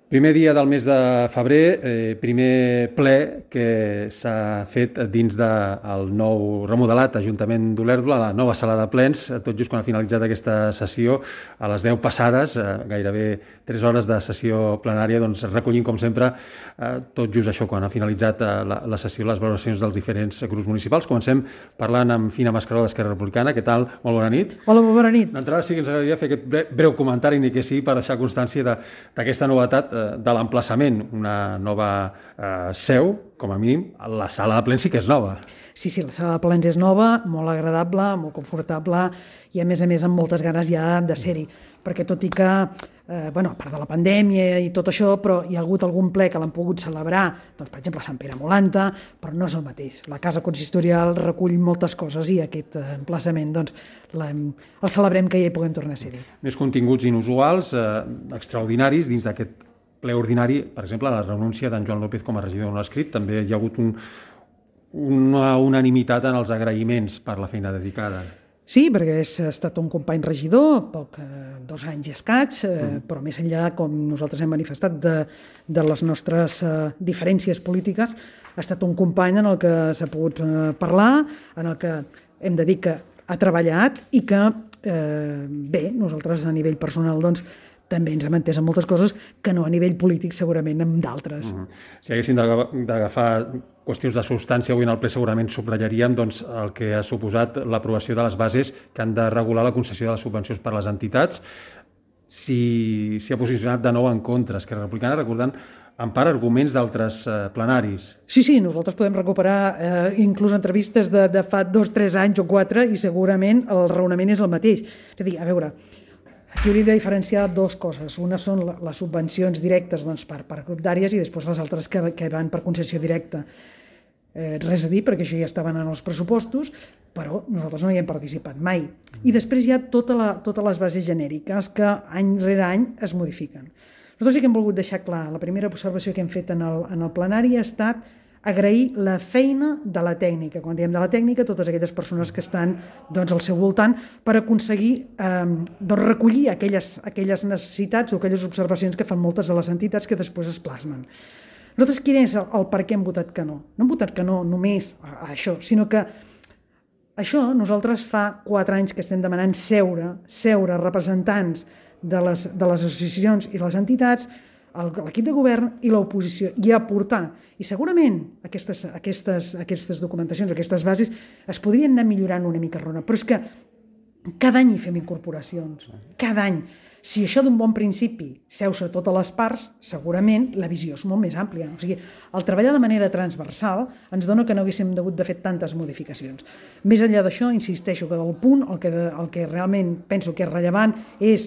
Primer dia del mes de febrer, primer ple que s'ha fet dins del nou remodelat Ajuntament d'Olèrdola, la nova sala de plens, tot just quan ha finalitzat aquesta sessió, a les 10 passades, gairebé 3 hores de sessió plenària, doncs recollint, com sempre, tot just això, quan ha finalitzat la sessió, les valoracions dels diferents grups municipals. Comencem parlant amb Fina Mascaró d'Esquerra Republicana. Què tal? Molt bona nit. Hola, molt bona nit. D'entrada sí que ens agradaria fer aquest breu comentari, ni que sigui per deixar constància d'aquesta novetat de l'emplaçament, una nova seu, com a mínim, la sala de plens sí que és nova. Sí, la sala de plens és nova, molt agradable, molt confortable i, a més, amb moltes ganes ja de ser-hi. Perquè tot i que, a part de la pandèmia i tot això, però hi ha hagut algun ple que l'han pogut celebrar, doncs, per exemple, a Sant Pere Molanta, però no és el mateix. La casa consistorial recull moltes coses i aquest emplaçament, doncs, el celebrem que ja hi puguem tornar a ser-hi. Més continguts inusuals, extraordinaris, dins d'aquest ple ordinari, per exemple, la renúncia d'en Joan López com a regidor no escrit. També hi ha hagut una unanimitat en els agraïments per la feina dedicada. Sí, perquè ha estat un company regidor, 2 anys i escaig, però més enllà, com nosaltres hem manifestat, de les nostres diferències polítiques, ha estat un company en el que s'ha pogut parlar, en el que hem de dir que ha treballat i que, nosaltres a nivell personal, doncs, també ens hem entès en moltes coses que no a nivell polític, segurament, amb d'altres. Si haguéssim d'agafar qüestions de substància avui en el ple, segurament subratllaríem doncs, el que ha suposat l'aprovació de les bases que han de regular la concessió de les subvencions per a les entitats. Si ha posicionat de nou en contra Esquerra Republicana, recordant en part arguments d'altres plenaris. Sí, nosaltres podem recuperar inclús entrevistes de fa 2, 3 anys o 4 i segurament el raonament és el mateix. És a dir, a veure, aquí hauríem de diferenciar 2 coses. Una són les subvencions directes per grup d'àrees i després les altres que van per concessió directa. Res a dir, perquè això ja estaven en els pressupostos, però nosaltres no hi hem participat mai. I després hi ha totes les bases genèriques que any rere any es modifiquen. Nosaltres sí que hem volgut deixar clar, la primera observació que hem fet en el plenari ha estat agrair la feina de la tècnica. Quan diem de la tècnica, totes aquelles persones que estan al seu voltant per aconseguir recollir aquelles necessitats o aquelles observacions que fan moltes de les entitats que després es plasmen. Nosaltres, quin és el per què hem votat que no? No hem votat que no només a això, sinó que això nosaltres fa 4 anys que estem demanant seure representants de les associacions i les entitats, l'equip de govern i l'oposició, i aportar. I segurament aquestes documentacions, aquestes bases, es podrien anar millorant una mica, però és que cada any hi fem incorporacions, cada any. Si això d'un bon principi seu-se totes les parts, segurament la visió és molt més àmplia. O sigui, el treballar de manera transversal ens dona que no haguéssim hagut de fer tantes modificacions. Més enllà d'això, insisteixo que del punt, el que realment penso que és rellevant és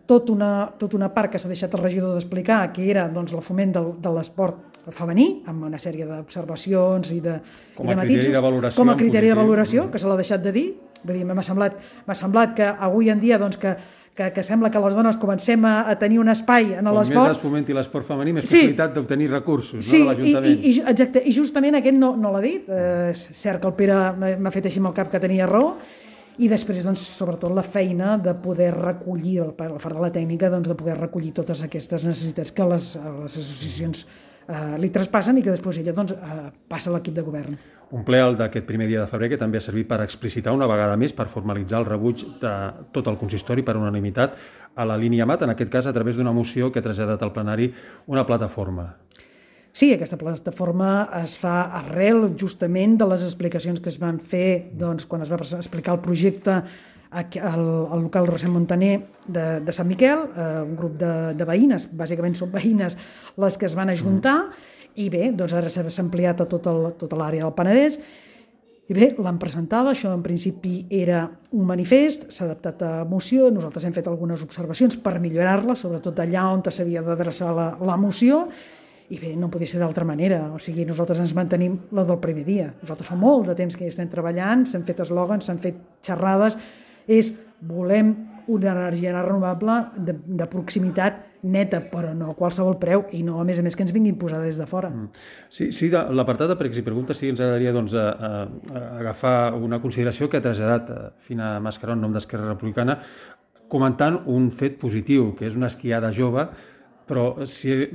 tota una part que s'ha deixat el regidor d'explicar, que era el foment de l'esport femení, amb una sèrie d'observacions i de matisos, com a criteri de valoració, que se l'ha deixat de dir. M'ha semblat que avui en dia que sembla que les dones comencem a tenir un espai en l'esport. Com més es fomenti l'esport femení, més possibilitat d'obtenir recursos de l'Ajuntament. Sí, exacte, i justament aquest no l'ha dit. És cert que el Pere m'ha fet així amb el cap que tenia raó, i després, sobretot, la feina de poder recollir, la part de la tècnica, de poder recollir totes aquestes necessitats que les associacions li traspassen i que després ella passa a l'equip de govern. Un ple d'aquest primer dia de febrer que també ha servit per explicitar una vegada més, per formalitzar el rebuig de tot el consistori per unanimitat a la línia MAT, en aquest cas a través d'una moció que ha traslladat al plenari una plataforma. Sí, aquesta plataforma es fa arrel justament de les explicacions que es van fer quan es va explicar el projecte al local Rossend Montaner de Sant Miquel, un grup de veïnes, bàsicament són veïnes les que es van ajuntar, i bé, ara s'ha ampliat a tota l'àrea del Penedès, i bé, l'han presentada, això en principi era un manifest, s'ha adaptat a moció, nosaltres hem fet algunes observacions per millorar-la, sobretot allà on s'havia d'adreçar la moció, i bé, no podia ser d'altra manera, o sigui, nosaltres ens mantenim la del primer dia. Nosaltres fa molt de temps que hi estem treballant, s'han fet eslògans, s'han fet xerrades, volem una energia renovable de proximitat neta, però no a qualsevol preu, i no, a més, que ens vinguin posada des de fora. Sí, l'apartat de pregs i preguntes sí que ens agradaria agafar una consideració que ha traslladat Fina Mascaró en nom d'Esquerra Republicana, comentant un fet positiu, que és una esquiada jove Però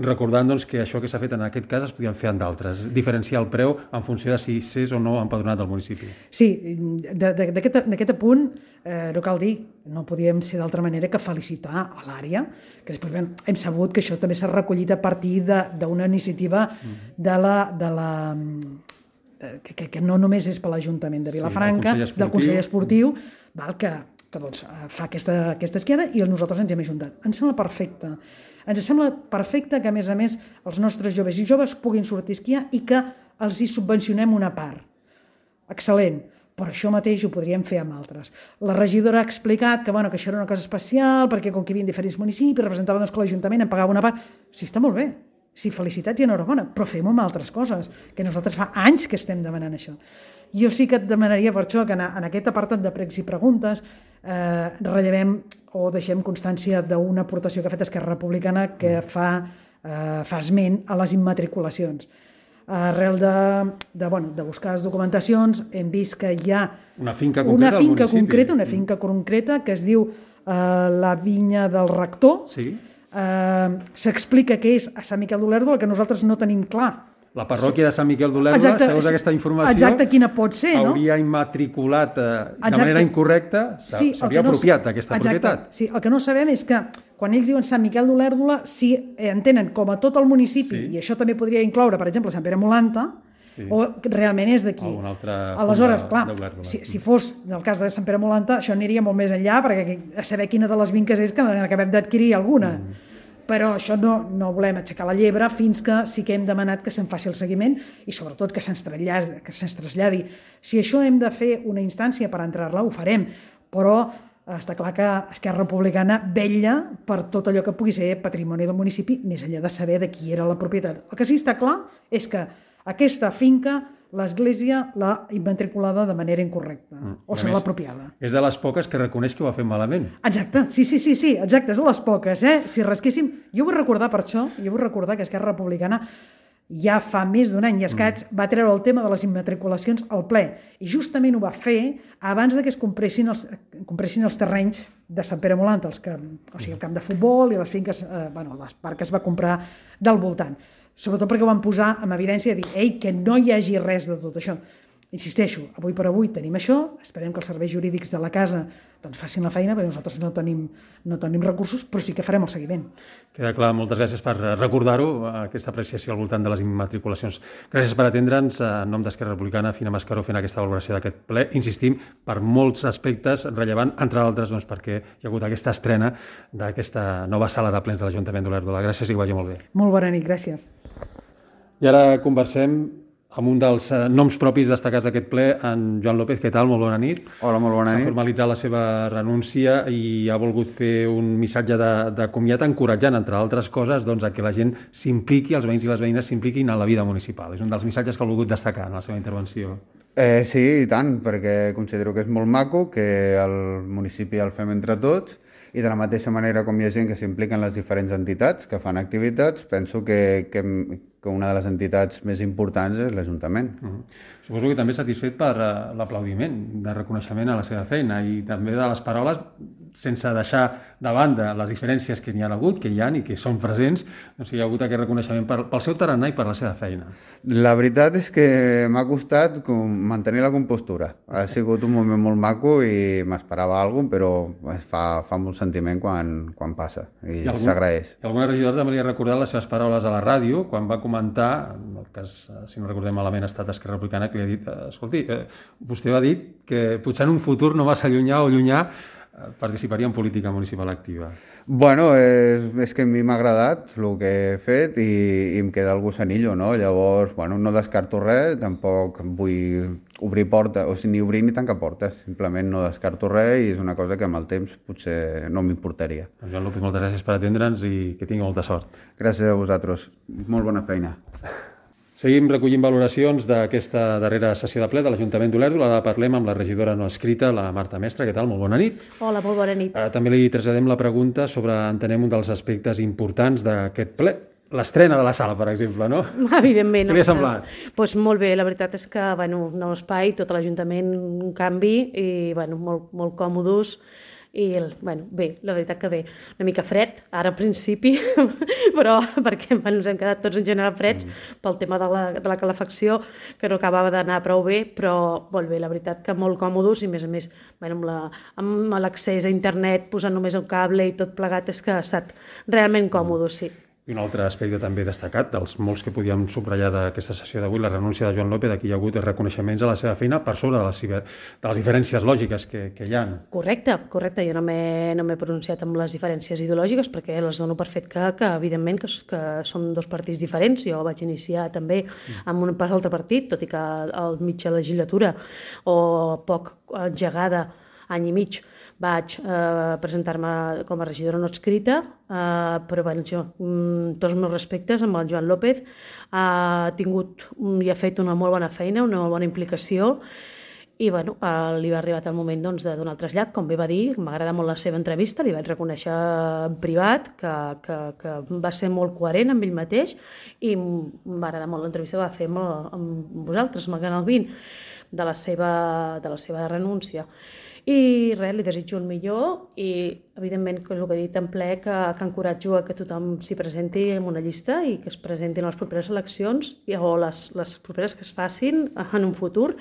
recordant que això que s'ha fet en aquest cas es podien fer en d'altres, diferenciar el preu en funció de si s'és o no empadronat del municipi. Sí, d'aquest apunt no cal dir, no podíem ser d'altra manera que felicitar a l'àrea, que després hem sabut que això també s'ha recollit a partir d'una iniciativa que no només és per l'Ajuntament de Vilafranca, del Consell Esportiu, que fa aquesta esquiada i nosaltres ens hem ajuntat. Ens sembla perfecte. Ens sembla perfecte que, a més, els nostres joves i joves puguin sortir a esquiar i que els hi subvencionem una part. Excel·lent, però això mateix ho podríem fer amb altres. La regidora ha explicat que això era una cosa especial, perquè com que hi havia diferents municipis, representava que l'Ajuntament en pagava una part. Sí, està molt bé. Sí, felicitats i enhorabona, però fem-ho amb altres coses, que nosaltres fa anys que estem demanant això. Jo sí que et demanaria per això que en aquest apartat de pregs i preguntes rellevem o deixem constància d'una aportació que ha fet Esquerra Republicana que fa esment a les immatriculacions. Arrel de buscar les documentacions hem vist que hi ha una finca concreta que es diu la Vinya del Rector. Sí. S'explica que és a Sant Miquel d'Olèrdola, que nosaltres no tenim clar. La parròquia de Sant Miquel d'Olèrdola, segons aquesta informació, exacte, quina pot ser, no? Hauria immatriculat de manera incorrecta, s'hauria apropiat d'aquesta propietat. Sí, el que no sabem és que quan ells diuen Sant Miquel d'Olèrdola, si entenen com a tot el municipi, i això també podria incloure, per exemple, Sant Pere Molanta, o realment és d'aquí. Aleshores, clar, si fos el cas de Sant Pere Molanta, això aniria molt més enllà, perquè a saber quina de les vinques és que n'acabem d'adquirir alguna. Però això no volem aixecar la llebre fins que sí que hem demanat que se'n faci el seguiment i sobretot que se'ns traslladi. Si això hem de fer una instància per entrar-la, ho farem, però està clar que Esquerra Republicana vetlla per tot allò que pugui ser patrimoni del municipi, més enllà de saber de qui era la propietat. El que sí està clar és que aquesta finca l'Església l'ha immatriculada de manera incorrecta, o se l'ha apropiada. És de les poques que reconeix que ho ha fet malament. Exacte, sí, exacte, és de les poques. Si rasquéssim... Jo vull recordar per això, que Esquerra Republicana ja fa més d'un any i escaig va treure el tema de les immatriculacions al ple, i justament ho va fer abans que es compressin els terrenys de Sant Pere Molanta, o sigui, el camp de futbol i les finques, les parts que es va comprar del voltant. Sobretot perquè ho van posar en evidència i dir que no hi hagi res de tot això. Insisteixo, avui per avui tenim això, esperem que els serveis jurídics de la casa facin la feina, perquè nosaltres no tenim recursos, però sí que farem el seguiment. Queda clar, moltes gràcies per recordar-ho, aquesta apreciació al voltant de les immatriculacions. Gràcies per atendre'ns, en nom d'Esquerra Republicana, Fina Mascaró, fent aquesta valoració d'aquest ple. Insistim, per molts aspectes rellevant, entre d'altres, perquè hi ha hagut aquesta estrena d'aquesta nova sala de plens de l'Ajuntament d'Olèrdola. Gràcies i que vagi molt bé. Molt bona nit, gràcies. I ara conversem amb un dels noms propis destacats d'aquest ple, en Joan López. Què tal? Molt bona nit. Hola, molt bona nit. S'ha formalitzat la seva renúncia i ha volgut fer un missatge de comiat encoratjant, entre altres coses, a que la gent s'impliqui, els veïns i les veïnes s'impliquin en la vida municipal. És un dels missatges que ha volgut destacar en la seva intervenció. Sí, i tant, perquè considero que és molt maco, que el municipi el fem entre tots, i de la mateixa manera com hi ha gent que s'implica en les diferents entitats que fan activitats, penso que una de les entitats més importants és l'Ajuntament. Suposo que també satisfet per l'aplaudiment de reconeixement a la seva feina i també de les paraules, sense deixar de banda les diferències que n'hi ha hagut, que hi ha i que són presents, hi ha hagut aquest reconeixement pel seu tarannà i per la seva feina. La veritat és que m'ha costat mantenir la compostura. Ha sigut un moment molt maco i m'esperava alguna cosa, però fa molt sentiment quan passa i s'agraeix. Alguna regidora també li ha recordat les seves paraules a la ràdio quan va comentar, en el cas, si no recordem malament, ha estat Esquerra Republicana, que li ha dit, escolti, vostè va dir que potser en un futur no massa llunyà o llunyà participaria en política municipal activa. Bueno, és que a mi m'ha agradat el que he fet i em queda el gusanillo, no? Llavors, no descarto res, tampoc vull obrir portes, o sigui, ni obrir ni tancar portes, simplement no descarto res i és una cosa que amb el temps potser no m'importaria. Joan López, moltes gràcies per atendre'ns i que tingui molta sort. Gràcies a vosaltres, molt bona feina. Seguim recollint valoracions d'aquesta darrera sessió de ple de l'Ajuntament d'Olèrdola. Ara parlem amb la regidora no escrita, la Marta Mestre. Què tal? Molt bona nit. Hola, molt bona nit. També li traslladem la pregunta sobre, entenem, un dels aspectes importants d'aquest ple. L'estrena de la sala, per exemple, no? Evidentment. Què li ha semblat? Doncs molt bé, la veritat és que, nou espai, tot l'Ajuntament, un canvi, i molt còmodes, bueno, bé, la veritat que bé. Una mica fred, ara al principi, però perquè ens hem quedat tots en general freds pel tema de la calefacció, que no acabava d'anar prou bé, però molt bé, la veritat que molt còmodes i, a més, bueno, amb l'accés a internet, posant només un cable i tot plegat, és que ha estat realment còmode, sí. I un altre aspecte també destacat, dels molts que podíem subratllar d'aquesta sessió d'avui, la renúncia de Joan López, aquí hi ha hagut reconeixements a la seva feina per sobre de les diferències lògiques que hi ha. Correcte. Jo no m'he pronunciat amb les diferències ideològiques perquè les dono per fet que evidentment, que som dos partits diferents. Jo vaig iniciar també amb un altre partit, tot i que al mitja legislatura o poc engegada, any i mig, vaig presentar-me com a regidora no adscrita, però bueno, jo, tots els meus respectes amb el Joan López, ha tingut i ha fet una molt bona feina, una molt bona implicació, i bueno, li va arribar el moment de donar el trasllat, com bé va dir, m'agrada molt la seva entrevista, li vaig reconèixer en privat que va ser molt coherent amb ell mateix i m'agrada molt l'entrevista que va fer amb vosaltres, amb el Canal 20, de la seva renúncia. I res, li desitjo el millor i, evidentment, el que he dit en ple, que encoratjo a que tothom s'hi presenti en una llista i que es presentin a les properes eleccions o les properes que es facin en un futur,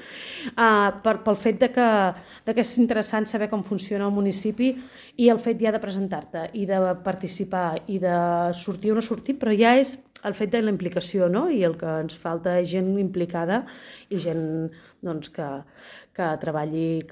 pel fet que és interessant saber com funciona el municipi i el fet ja de presentar-te i de participar i de sortir o no sortir, però ja és el fet de la implicació, no? I el que ens falta és gent implicada i gent que treballi i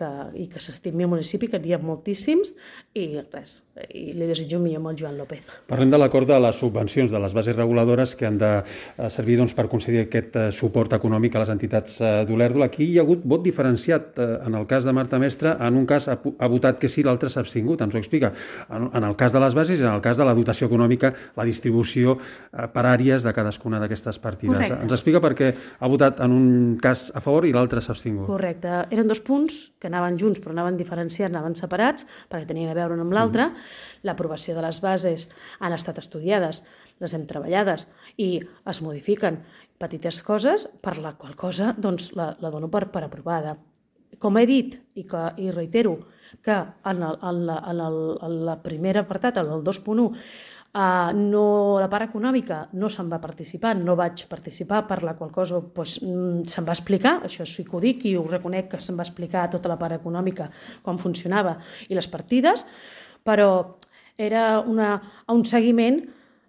que s'estimi al municipi, que n'hi ha moltíssims, i res, i li desitjo millor amb el Joan López. Parlem de l'acord de les subvencions de les bases reguladores que han de servir per concedir aquest suport econòmic a les entitats d'Olèrdola. Aquí hi ha hagut vot diferenciat. En el cas de Marta Mestre, en un cas ha votat que sí, l'altre s'ha abstingut, ens ho explica. En el cas de les bases i en el cas de la dotació econòmica, la distribució per àrees de cadascuna d'aquestes partides. Correcte. Ens explica per què ha votat en un cas a favor i l'altre s'ha abstingut. Correcte. Eren dos punts que anaven junts però anaven diferenciats, anaven separats perquè tenien a veure un amb l'altre. L'aprovació de les bases han estat estudiades, les hem treballades i es modifiquen petites coses, per la qual cosa la dono per aprovada. Com he dit i reitero que en el primer apartat, en el 2.1, la part econòmica no se'n va participar, no vaig participar, per la qual cosa se'n va explicar, això sí que ho dic i ho reconec que se'n va explicar tota la part econòmica, com funcionava i les partides, però era un seguiment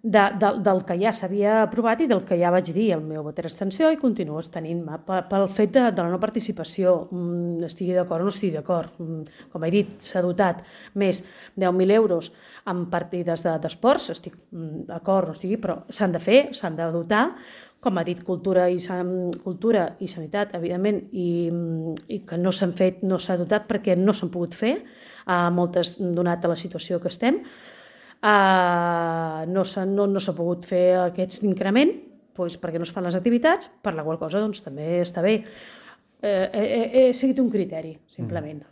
del que ja s'havia aprovat i del que ja vaig dir. El meu vot era abstenció i continuo tenint-me pel fet de la no participació. Estigui d'acord o no estigui d'acord. Com he dit, s'ha dotat més 10.000 euros en partides d'esports, estic d'acord, no estigui, però s'han de fer, s'han de dotar, com ha dit cultura i sanitat, evidentment, i que no s'han fet, no s'ha dotat perquè no s'han pogut fer, moltes donat a la situació que estem. No s'ha pogut fer aquest increment perquè no es fan les activitats, per la qual cosa també està bé. He seguit un criteri, simplement.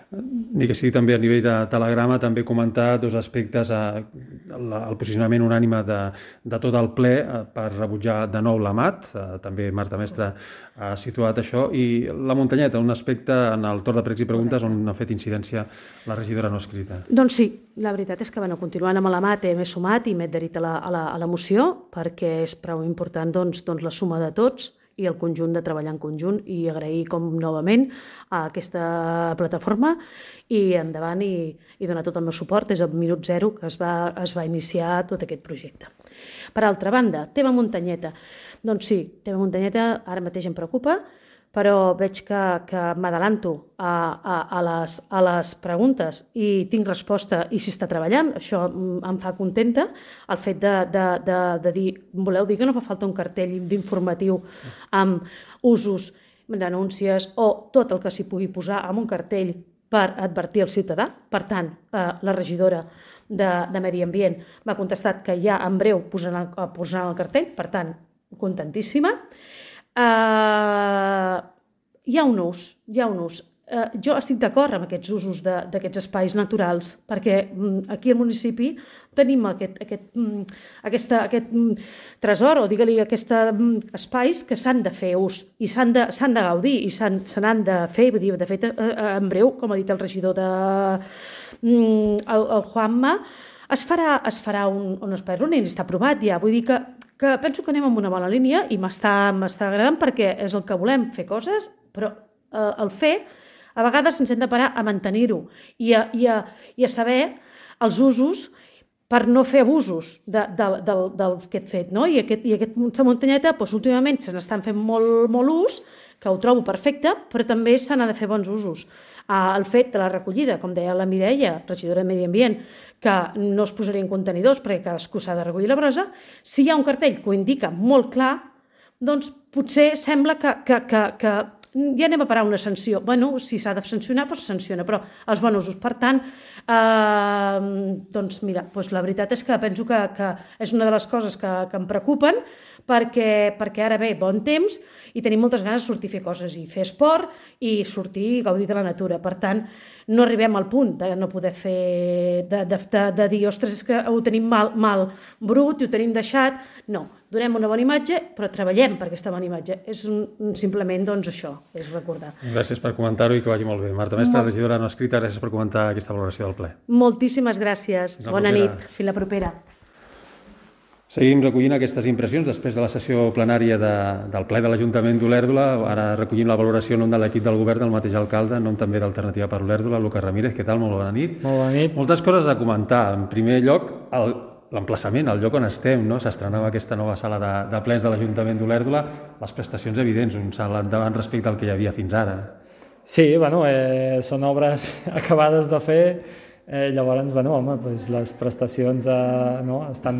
Ni que sigui també a nivell de telegrama, també comentar dos aspectes, el posicionament unànime de tot el ple per rebutjar de nou l'AMAT, també Marta Mestre ha situat això, i la muntanyeta, un aspecte en el torn de pregs i preguntes on ha fet incidència la regidora no escrita. Doncs sí, la veritat és que continuant amb l'AMAT m'he sumat i m'he adherit a la moció perquè és prou important la suma de tots i el conjunt de treballar en conjunt i agrair novament a aquesta plataforma i endavant i donar tot el meu suport des del minut zero que es va iniciar tot aquest projecte. Per altra banda, tema muntanyeta. Doncs sí, tema muntanyeta ara mateix em preocupa, però veig que m'adalanto a les preguntes i tinc resposta i s'hi està treballant. Això em fa contenta, el fet de dir, voleu dir que no fa falta un cartell d'informatiu amb usos, denúncies o tot el que s'hi pugui posar amb un cartell per advertir el ciutadà. Per tant, la regidora de Medi Ambient m'ha contestat que ja en breu posaran el cartell, per tant, contentíssima. Hi ha un ús. jo estic d'acord amb aquests usos d'aquests espais naturals, perquè aquí al municipi tenim aquest tresor, o digue-li espais que s'han de fer ús i s'han de gaudir i se n'han de fer. De fet, en breu, com ha dit el regidor el Juanma, es farà un espai running, està aprovat ja. Vull dir que penso que anem en una bona línia i m'està agradant perquè és el que volem, fer coses, però el fer, a vegades ens hem de parar a mantenir-ho i a saber els usos per no fer abusos d'aquest fet. No? I aquesta muntanyeta, últimament se n'estan fent molt ús, que ho trobo perfecte, però també se n'ha de fer bons usos. El fet de la recollida, com deia la Mireia, regidora de Medi Ambient, que no es posarien contenidors perquè cadascú s'ha de recollir la brossa, si hi ha un cartell que ho indica molt clar, doncs potser sembla que ja anem a parar una sanció. Bueno, si s'ha de sancionar, doncs sanciona, però els bons usos. Per tant, doncs mira, la veritat és que penso que és una de les coses que em preocupen, perquè ara ve bon temps i tenim moltes ganes de sortir a fer coses i fer esport i sortir i gaudir de la natura. Per tant, no arribem al punt de no poder fer, de dir, ostres, és que ho tenim mal brut i ho tenim deixat. No, donem una bona imatge, però treballem per aquesta bona imatge. És simplement, doncs, això, és recordar. Gràcies per comentar-ho i que vagi molt bé. Marta Mestre, regidora no escrita, gràcies per comentar aquesta valoració del ple. Moltíssimes gràcies. Bona nit. Fins la propera. Seguim recollint aquestes impressions després de la sessió plenària del ple de l'Ajuntament d'Olèrdola. Ara recollim la valoració en nom de l'equip del govern del mateix alcalde, en nom també d'Alternativa per Olèrdola, Lucas Ramírez. Què tal? Molt bona nit. Molt bona nit. Moltes coses a comentar. En primer lloc, l'emplaçament, el lloc on estem, no? S'estrenava aquesta nova sala de plens de l'Ajuntament d'Olèrdola. Les prestacions evidents, un salt endavant respecte al que hi havia fins ara. Sí, són obres acabades de fer. Llavors, les prestacions estan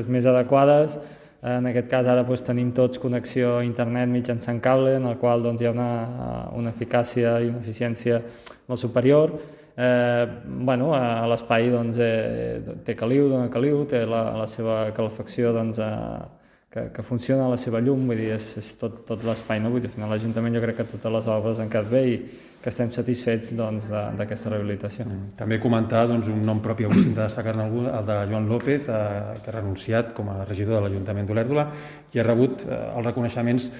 més adequades. En aquest cas ara tenim tots connexió a internet mitjançant cable, en el qual hi ha una eficàcia i una eficiència molt superior. A l'espai té caliu, dona caliu, té la seva calefacció que funciona, la seva llum, vull dir, és tot l'espai, no? Vull dir, al final l'Ajuntament jo crec que totes les obres han quedat bé i que estem satisfets d'aquesta rehabilitació. També comentar un nom propi, avui s'ha de destacar-ne algú, el de Joan López, que ha renunciat com a regidor de l'Ajuntament d'Olèrdola i ha rebut els reconeixements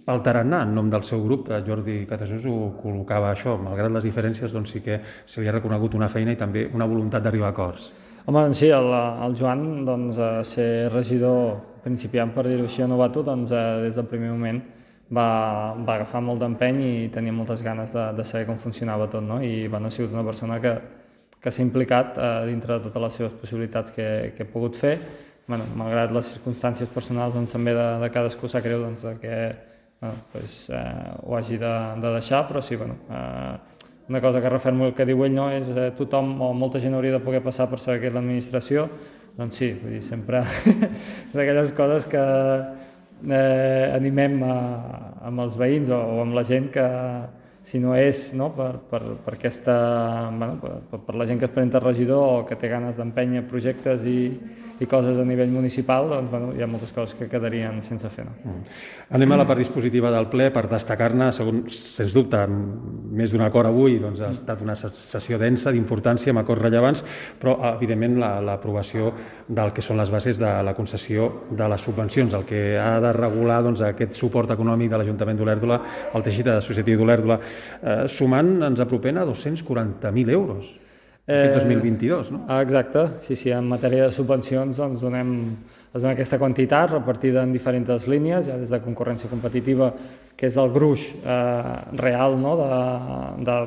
pel tarannà en nom del seu grup. Jordi Catasús ho col·locava això, malgrat les diferències sí que se li ha reconegut una feina i també una voluntat d'arribar a acords. Home, sí, el Joan, ser regidor principiant, per dir-ho així, novato, des del primer moment va agafar molt d'empeny i tenia moltes ganes de saber com funcionava tot, no? I ha sigut una persona que s'ha implicat dintre de totes les seves possibilitats que he pogut fer. Malgrat les circumstàncies personals també de cadascú sap greu que ho hagi de deixar, però sí, una cosa que refermo el que diu ell, no, és tothom o molta gent hauria de poder passar per saber què és l'administració. Doncs sí, vull dir, sempre d'aquelles coses que animem amb els veïns o amb la gent que, si no és per la gent que es presenta regidor o que té ganes d'empènyer projectes i coses a nivell municipal, hi ha moltes coses que quedarien sense fer. Anem a la part dispositiva del ple per destacar-ne, sens dubte, més d'un acord avui, ha estat una sessió densa, d'importància, amb acords rellevants, però, evidentment, l'aprovació del que són les bases de la concessió de les subvencions, el que ha de regular aquest suport econòmic de l'Ajuntament d'Olèrdola al teixit associatiu d'Olèrdola, sumant ens apropem a 240.000 euros. Aquest 2022, no? Exacte, sí, en matèria de subvencions donem aquesta quantitat repartida en diferents línies, ja des de concurrència competitiva, que és el gruix real de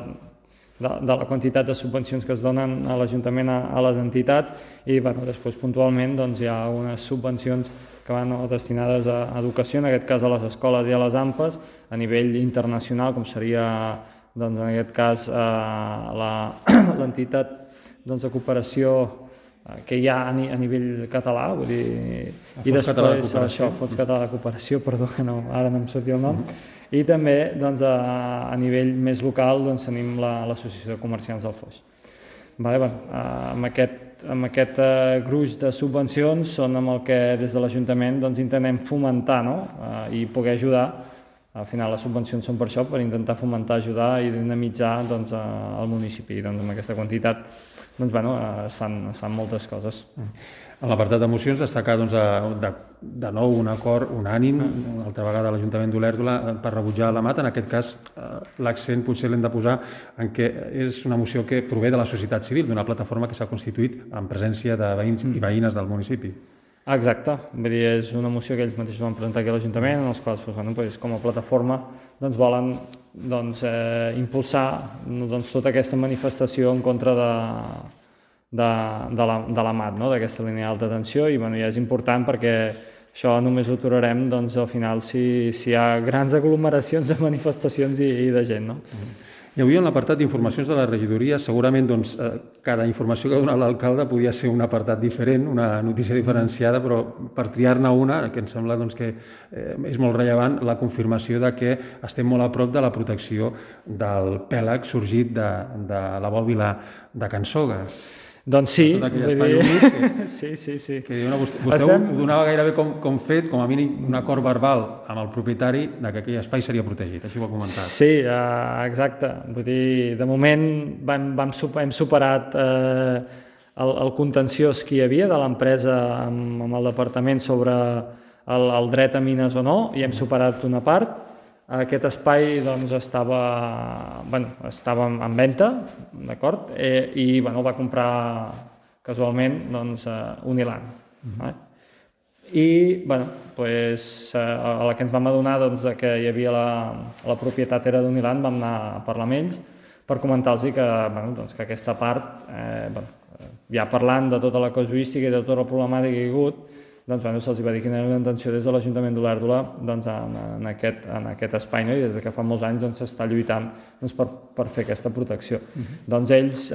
la quantitat de subvencions que es donen a l'Ajuntament a les entitats i després puntualment hi ha unes subvencions que van destinades a educació, en aquest cas a les escoles i a les AMPAs, a nivell internacional, com seria en aquest cas l'entitat de cooperació que hi ha a nivell català, vull dir, i després això, Fons Català de Cooperació, perdó, que ara no em sortia el nom, i també a nivell més local tenim l'Associació de Comerciants del Foix. Amb aquest gruix de subvencions són amb el que des de l'Ajuntament intentem fomentar i poder ajudar Al final les subvencions són per això, per intentar fomentar, ajudar i dinamitzar doncs, el municipi. Doncs, amb aquesta quantitat doncs, bueno, es fan moltes coses. En l'apartat d'emocions, destacar doncs, de nou un acord unànim, una altra vegada a l'Ajuntament d'Olèrdola, per rebutjar la MAT. En aquest cas, l'accent potser l'hem de posar en què és una moció que prové de la societat civil, d'una plataforma que s'ha constituït en presència de veïns i veïnes del municipi. Exacte, vull dir, és una moció que ells mateixos van presentar aquí a l'Ajuntament, en els quals com a plataforma volen impulsar tota aquesta manifestació en contra de la MAT, d'aquesta línia d'alta tensió, i ja és important perquè això només ho aturarem al final si hi ha grans aglomeracions de manifestacions i de gent. I avui en l'apartat d'informacions de la regidoria segurament cada informació que ha donat l'alcalde podia ser un apartat diferent, una notícia diferenciada, però per triar-ne una, que em sembla que és molt rellevant, la confirmació de que estem molt a prop de la protecció del pèlag sorgit de la bòbila de Can Sogues. Doncs sí, sí. Que vostè ho donava gairebé com fet, com a mínim un acord verbal amb el propietari que aquell espai seria protegit, així ho ha comentat. Sí, exacte. Vull dir, de moment hem superat el contenciós que hi havia de l'empresa amb el departament sobre el dret a mines o no, i hem superat una part. Aquest espai estava en venda, d'acord? I el va comprar casualment Uniland. I a la que ens vam adonar que hi havia la propietat era d'Uniland, vam anar a parlar amb ells per comentar-los que aquesta part, ja parlant de tota la casuística i de tota la problemàtica que hi ha hagut, se'ls va dir quina era la intenció des de l'Ajuntament d'Olèrdola en aquest espai, i des que fa molts anys s'està lluitant per fer aquesta protecció. Ells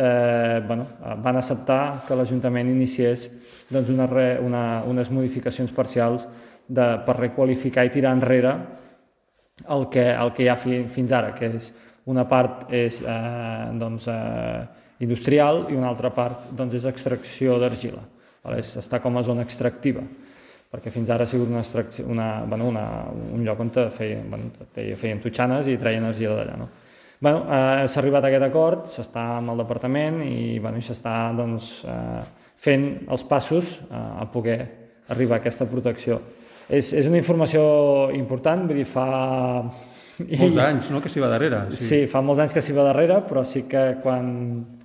van acceptar que l'Ajuntament iniciés unes modificacions parcials per requalificar i tirar enrere el que hi ha fins ara, que és una part és industrial i una altra part és extracció d'argila. Està com a zona extractiva, perquè fins ara ha sigut un lloc on feien totxanes i treien energia d'allà. S'ha arribat a aquest acord, s'està amb el departament i s'està fent els passos a poder arribar a aquesta protecció. És una informació important, vull dir, fa... Molts anys, no?, que s'hi va darrere. Sí, fa molts anys que s'hi va darrere, però sí que quan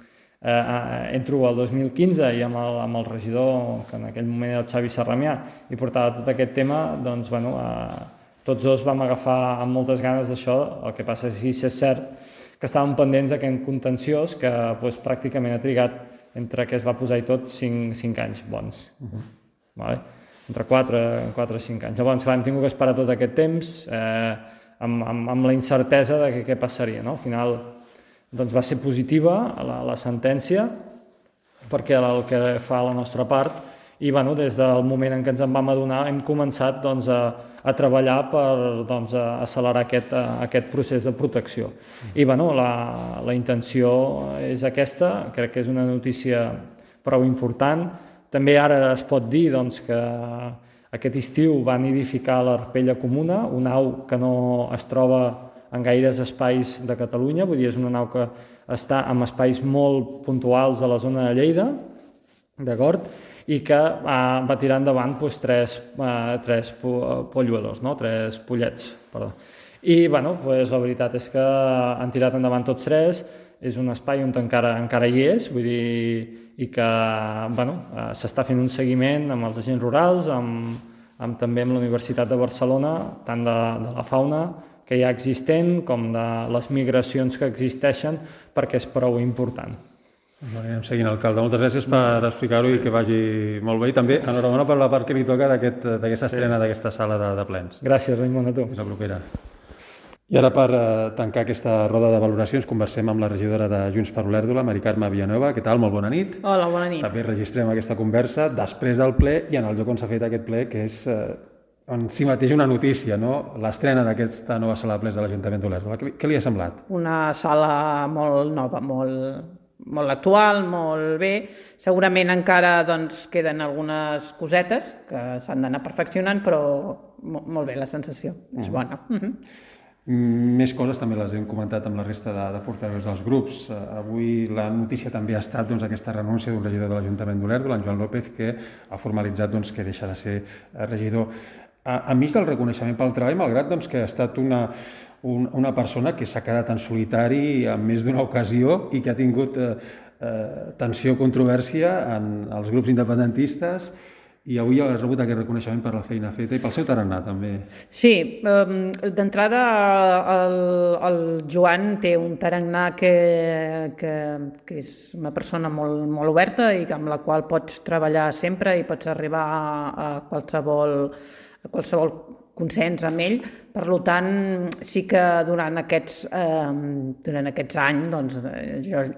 entro al 2015 i amb el regidor, que en aquell moment era el Xavi Sarramià, i portava tot aquest tema, tots dos vam agafar amb moltes ganes d'això. El que passa és que és cert que estàvem pendents d'aquest contenciós que pràcticament ha trigat, entre que es va posar i tot, 5 anys bons. Entre 4 i 5 anys. Llavors, clar, hem tingut que esperar tot aquest temps amb la incertesa de què passaria. Al final va ser positiva la sentència, perquè el que fa la nostra part, i des del moment en què ens en vam adonar hem començat a treballar per accelerar aquest procés de protecció. I la intenció és aquesta, crec que és una notícia prou important. També ara es pot dir que aquest estiu van edificar l'Arpella Comuna, una au que no es troba en gaires espais de Catalunya, vull dir, és una nau que està en espais molt puntuals a la zona de Lleida, d'acord? I que va tirar endavant tres polluadors, 3 pollets, perdó. I, la veritat és que han tirat endavant tots 3, és un espai on encara hi és, vull dir, i que, s'està fent un seguiment amb els agents rurals, també amb la Universitat de Barcelona, tant de la fauna que hi ha existent com de les migracions que existeixen, perquè és prou important. Anem seguint, alcalde. Moltes gràcies per explicar-ho i que vagi molt bé. I també enhorabona per la part que li toca d'aquesta estrena d'aquesta sala de plens. Gràcies, Raimon, a tu. Fins la propera. I ara, per tancar aquesta roda de valoracions, conversem amb la regidora de Junts per Olèrdola, Mari Carme Villanueva. Què tal? Molt bona nit. Hola, bona nit. També registrem aquesta conversa després del ple i en el lloc on s'ha fet aquest ple, que és en si mateix una notícia, no? L'estrena d'aquesta nova sala de plens de l'Ajuntament d'Olèrdola. Què li ha semblat? Una sala molt nova, molt actual, molt bé. Segurament encara queden algunes cosetes que s'han d'anar perfeccionant, però molt bé la sensació, és bona. Més coses també les hem comentat amb la resta de portaveus dels grups. Avui la notícia també ha estat aquesta renúncia d'un regidor de l'Ajuntament d'Olèrdola, en Joan López, que ha formalitzat que deixa de ser regidor. Enmig del reconeixement pel treball, malgrat que ha estat una persona que s'ha quedat en solitari en més d'una ocasió i que ha tingut tensió, controvèrsia en els grups independentistes, i avui ha rebut aquest reconeixement per la feina feta i pel seu tarannà, també. Sí, d'entrada el Joan té un tarannà que és una persona molt oberta i amb la qual pots treballar sempre i pots arribar a qualsevol consens amb ell. Per tant, sí que durant aquests anys,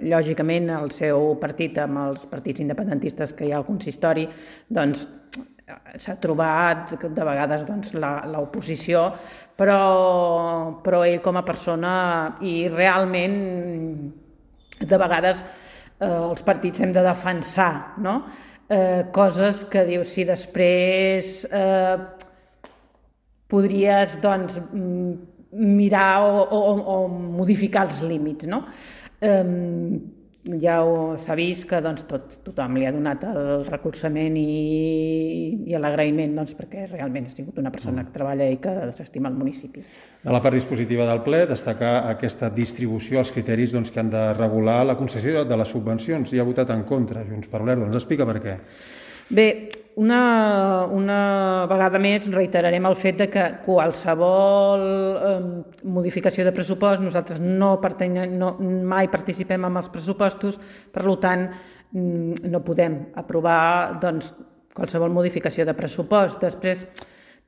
lògicament, el seu partit amb els partits independentistes que hi ha al consistori, s'ha trobat de vegades l'oposició, però ell com a persona, i realment de vegades els partits hem de defensar, no? Coses que dius, si després podries mirar o modificar els límits, no? Ja s'ha vist que tothom li ha donat el recolzament i l'agraïment, perquè realment ha sigut una persona que treballa i que s'estima el municipi. De la part dispositiva del ple, destacar aquesta distribució, els criteris que han de regular la concessió de les subvencions. Hi ha votat en contra, Junts per Olèrdola. Ens explica per què. Bé, una vegada més reiterarem el fet que qualsevol modificació de pressupost, nosaltres mai participem en els pressupostos, per tant no podem aprovar qualsevol modificació de pressupost. Després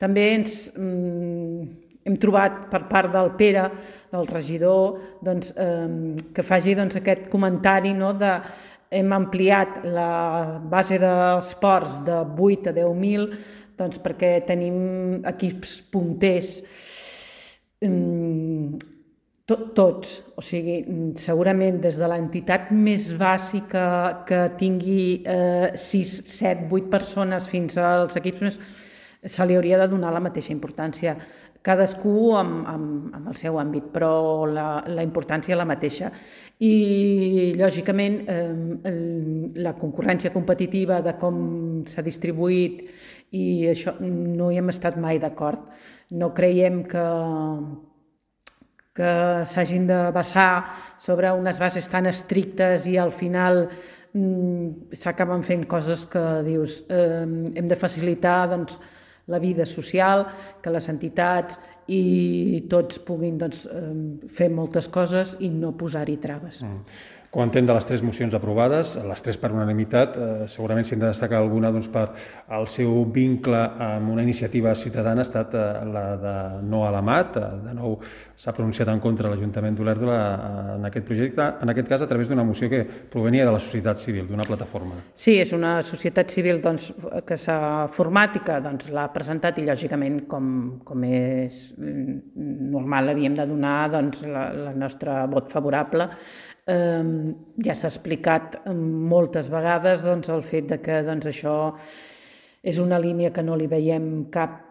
també hem trobat per part del Pere, el regidor, que faci aquest comentari de hem ampliat la base dels ports de 8 a 10.000 perquè tenim equips punters tots, o sigui, segurament des de l'entitat més bàsica que tingui 6, 7, 8 persones fins als equips més, se li hauria de donar la mateixa importància. Cadascú amb el seu àmbit, però la importància és la mateixa. I, lògicament, la concurrència competitiva de com s'ha distribuït i això no hi hem estat mai d'acord. No creiem que s'hagin de basar sobre unes bases tan estrictes i al final s'acaben fent coses que dius hem de facilitar la vida social, que les entitats i tots puguin fer moltes coses i no posar-hi traves. Comentem de les 3 mocions aprovades, les 3 per unanimitat, segurament si hem de destacar alguna per el seu vincle amb una iniciativa ciutadana ha estat la de no a l'AMAT, de nou s'ha pronunciat en contra l'Ajuntament d'Olèrdola en aquest projecte, en aquest cas a través d'una moció que provenia de la societat civil, d'una plataforma. Sí, és una societat civil que s'ha format i que l'ha presentat i lògicament com és normal havíem de donar el nostre vot favorable. Ja s'ha explicat moltes vegades el fet que això és una línia que no li veiem cap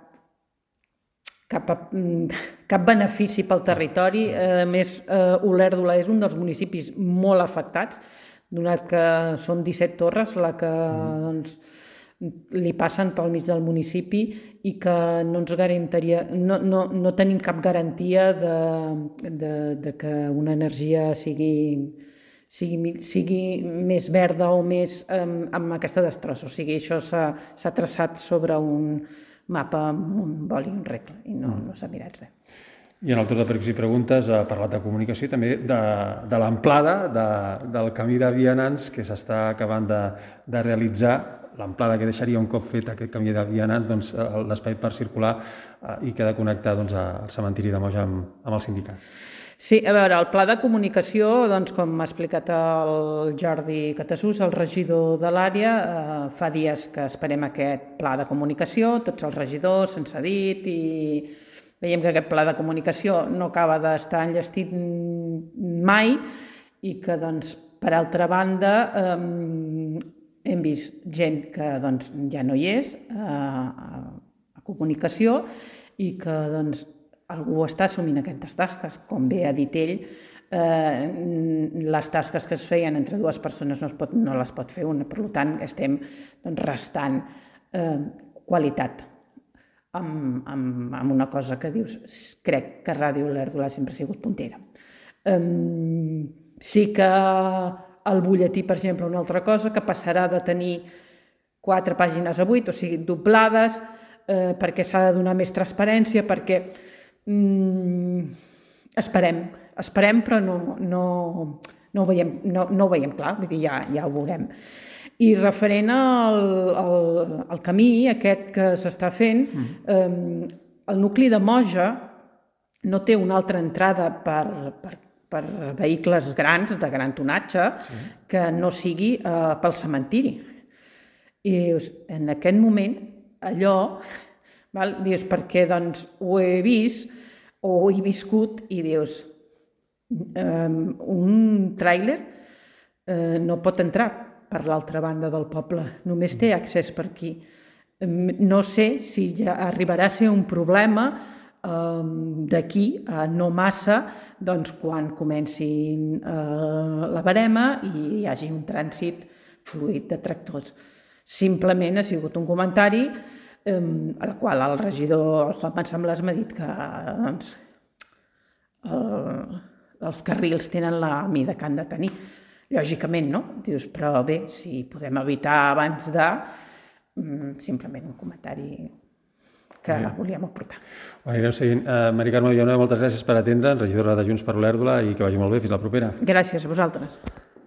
benefici pel territori. A més, Olèrdola és un dels municipis molt afectats, donat que són 17 torres la que li passen pel mig del municipi i que no ens garantiria, no tenim cap garantia de que una energia sigui més verda o més amb aquesta destrossa. O sigui, això s'ha traçat sobre un mapa amb un boli i un regle i no s'ha mirat res. I en el torn de pregs i preguntes ha parlat de comunicació i també de l'amplada del camí de vianants que s'està acabant de realitzar, l'amplada que deixaria un cop fet aquest camí de vianants l'espai per circular i que ha de connectar al cementiri de Moja amb el sindicat. Sí, a veure, el pla de comunicació, com m'ha explicat el Jordi Catasús, el regidor de l'àrea, fa dies que esperem aquest pla de comunicació, tots els regidors se'ns ha dit i veiem que aquest pla de comunicació no acaba d'estar enllestit mai i que, per altra banda, hem vist gent que ja no hi és a comunicació i que algú està assumint aquestes tasques, com bé ha dit ell, les tasques que es feien entre dues persones no les pot fer una, per tant estem restant qualitat amb una cosa que dius, crec que Ràdio Olèrdola sempre ha sigut puntera. Sí que el butlletí, per exemple, una altra cosa, que passarà de tenir 4 pàgines a 8, o sigui, doblades, perquè s'ha de donar més transparència, perquè esperem, però no ho veiem clar, vull dir, ja ho veurem. I referent al camí aquest que s'està fent, el nucli de Moja no té una altra entrada per vehicles grans, de gran tonatge, que no sigui pel cementiri. I dius, en aquest moment, allò, dius, perquè doncs ho he vist o ho he viscut, i dius, un tràiler no pot entrar per l'altra banda del poble, només té accés per aquí. No sé si ja arribarà a ser un problema d'aquí a no massa, doncs quan comencin la barema i hi hagi un trànsit fluid de tractors. Simplement ha sigut un comentari al qual el regidor, el Juan Mansamblas, m'ha dit que els carrils tenen la mida que han de tenir. Lògicament, no? Dius, però bé, si podem evitar abans de... Simplement un comentari que volíem aportar. Ho anirem seguint. Mari Carme Villanueva, moltes gràcies per atendre'ns, regidora de Junts per Olèrdola, i que vagi molt bé. Fins la propera. Gràcies a vosaltres.